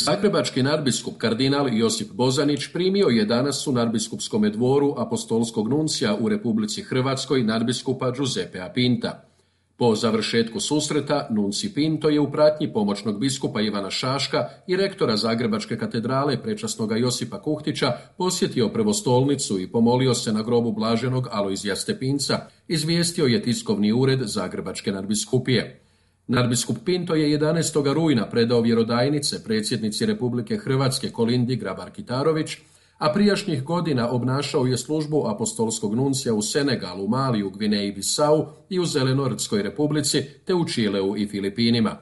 Zagrebački nadbiskup kardinal Josip Bozanić primio je danas u nadbiskupskom dvoru apostolskog nuncija u Republici Hrvatskoj nadbiskupa Giuseppea Pinta. Po završetku susreta, nunci Pinto je u pratnji pomoćnog biskupa Ivana Šaška i rektora Zagrebačke katedrale prečasnoga Josipa Kuhtića posjetio prvostolnicu i pomolio se na grobu blaženog Alojzija Stepinca, izvijestio je tiskovni ured Zagrebačke nadbiskupije. Nadbiskup Pinto je 11. rujna predao vjerodajnice predsjednici Republike Hrvatske Kolindi Grabar-Kitarović, a prijašnjih godina obnašao je službu apostolskog nuncija u Senegalu, Maliju, Gvineji Bisau i u Zelenortskoj republici, te u Čileu i Filipinima.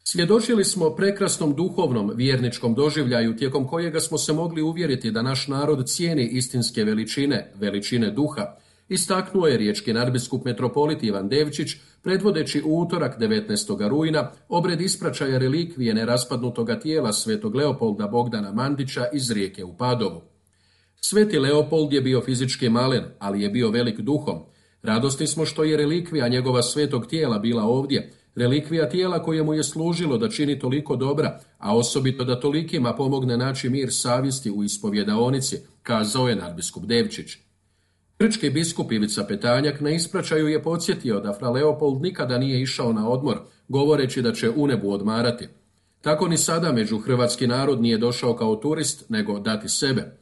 Svjedočili smo prekrasnom duhovnom vjerničkom doživljaju tijekom kojega smo se mogli uvjeriti da naš narod cijeni istinske veličine duha, istaknuo je riječki nadbiskup metropolit Ivan Devčić, predvodeći u utorak 19. rujna obred ispraćaja relikvije neraspadnutoga tijela svetog Leopolda Bogdana Mandića iz Rijeke u Padovu. Sveti Leopold je bio fizički malen, ali je bio velik duhom. Radosni smo što je relikvija njegova svetog tijela bila ovdje, relikvija tijela koje mu je služilo da čini toliko dobra, a osobito da tolikima pomogne naći mir savjesti u ispovjedaonici, kazao je nadbiskup Devčić. Grčki biskup Ivica Petanjak na ispraćaju je podsjetio da fra Leopold nikada nije išao na odmor, govoreći da će u nebu odmarati. Tako ni sada među hrvatski narod nije došao kao turist, nego dati sebe.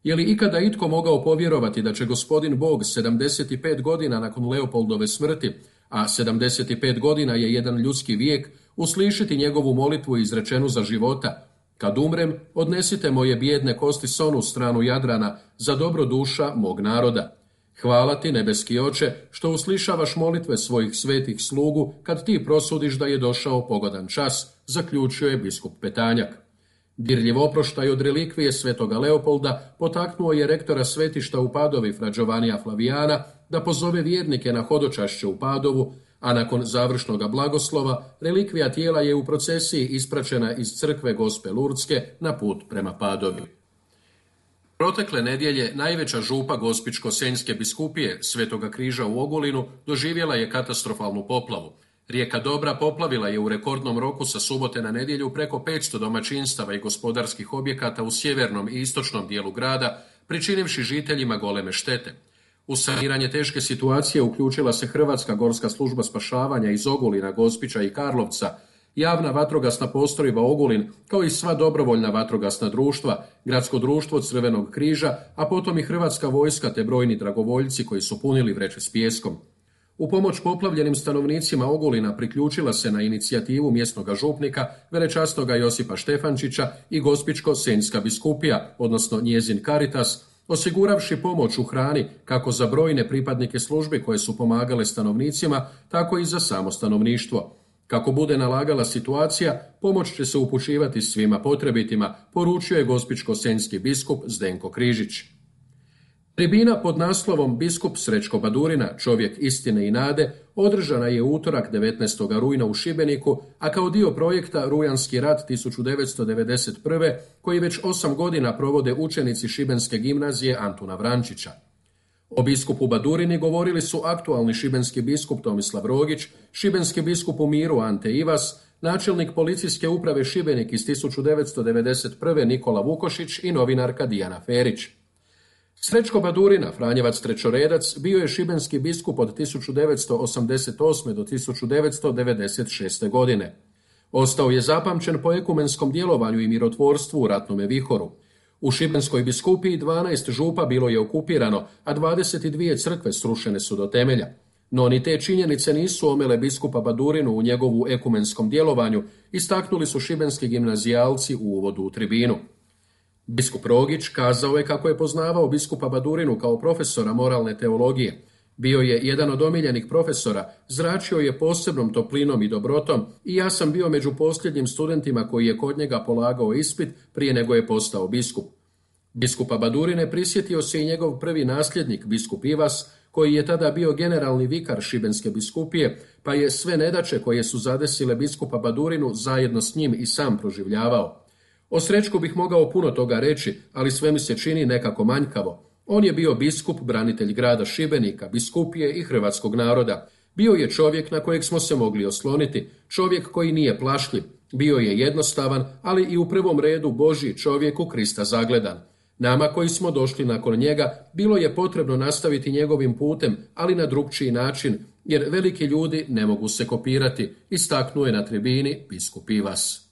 Je li ikada itko mogao povjerovati da će gospodin Bog 75 godina nakon Leopoldove smrti, a 75 godina je jedan ljudski vijek, uslišiti njegovu molitvu izrečenu za života: kad umrem, odnesite moje bijedne kosti s onu stranu Jadrana za dobro duša mog naroda. Hvala ti, nebeski oče, što uslišavaš molitve svojih svetih slugu kad ti prosudiš da je došao pogodan čas, zaključio je biskup Petanjak. Dirljiv oproštaj od relikvije svetoga Leopolda potaknuo je rektora svetišta u Padovi fra Giovanija Flavijana da pozove vjernike na hodočašće u Padovu, a nakon završnoga blagoslova relikvija tijela je u procesiji ispraćena iz crkve Gospe Lurdske na put prema Padovi. Protekle nedjelje najveća župa Gospićko-senjske biskupije Svetoga križa u Ogulinu doživjela je katastrofalnu poplavu. Rijeka Dobra poplavila je u rekordnom roku sa subote na nedjelju preko 500 domaćinstava i gospodarskih objekata u sjevernom i istočnom dijelu grada, pričinivši žiteljima goleme štete. U saniranje teške situacije uključila se Hrvatska gorska služba spašavanja iz Ogulina, Gospića i Karlovca, javna vatrogasna postrojba Ogulin, kao i sva dobrovoljna vatrogasna društva, Gradsko društvo Crvenog križa, a potom i Hrvatska vojska te brojni dragovoljci koji su punili vreće s pijeskom. U pomoć poplavljenim stanovnicima Ogulina priključila se na inicijativu mjesnog župnika, velečasnoga Josipa Štefančića i Gospićko-senjska biskupija, odnosno njezin Caritas, osiguravši pomoć u hrani kako za brojne pripadnike službi koje su pomagale stanovnicima, tako i za samo stanovništvo. Kako bude nalagala situacija, pomoć će se upućivati svima potrebitima, poručio je gospićko-senjski biskup Zdenko Križić. Tribina pod naslovom Biskup Srećko Badurina, čovjek istine i nade, održana je u utorak 19. rujna u Šibeniku, a kao dio projekta Rujanski rat 1991. koji već 8 godina provode učenici Šibenske gimnazije Antuna Vrančića. O biskupu Badurini govorili su aktualni šibenski biskup Tomislav Rogić, šibenski biskup u miru Ante Ivas, načelnik policijske uprave Šibenik iz 1991. Nikola Vukošić i novinarka Dijana Ferić. Srećko Badurina, Franjevac trećoredac, bio je šibenski biskup od 1988. do 1996. godine. Ostao je zapamćen po ekumenskom djelovanju i mirotvorstvu u ratnome vihoru. U Šibenskoj biskupiji 12 župa bilo je okupirano, a 22 crkve srušene su do temelja. No ni te činjenice nisu omele biskupa Badurinu u njegovu ekumenskom djelovanju, istaknuli su šibenski gimnazijalci u uvodu u tribinu. Biskup Rogić kazao je kako je poznavao biskupa Badurinu kao profesora moralne teologije. Bio je jedan od omiljenih profesora, zračio je posebnom toplinom i dobrotom i ja sam bio među posljednjim studentima koji je kod njega polagao ispit prije nego je postao biskup. Biskupa Badurine prisjetio se i njegov prvi nasljednik, biskup Ivas, koji je tada bio generalni vikar Šibenske biskupije, pa je sve nedaće koje su zadesile biskupa Badurinu zajedno s njim i sam proživljavao. O Srećku bih mogao puno toga reći, ali sve mi se čini nekako manjkavo. On je bio biskup, branitelj grada Šibenika, biskupije i hrvatskog naroda. Bio je čovjek na kojeg smo se mogli osloniti, čovjek koji nije plašljiv. Bio je jednostavan, ali i u prvom redu Božji čovjek u Krista zagledan. Nama koji smo došli nakon njega, bilo je potrebno nastaviti njegovim putem, ali na drukčiji način, jer veliki ljudi ne mogu se kopirati, istaknuo je na tribini biskup Ivas.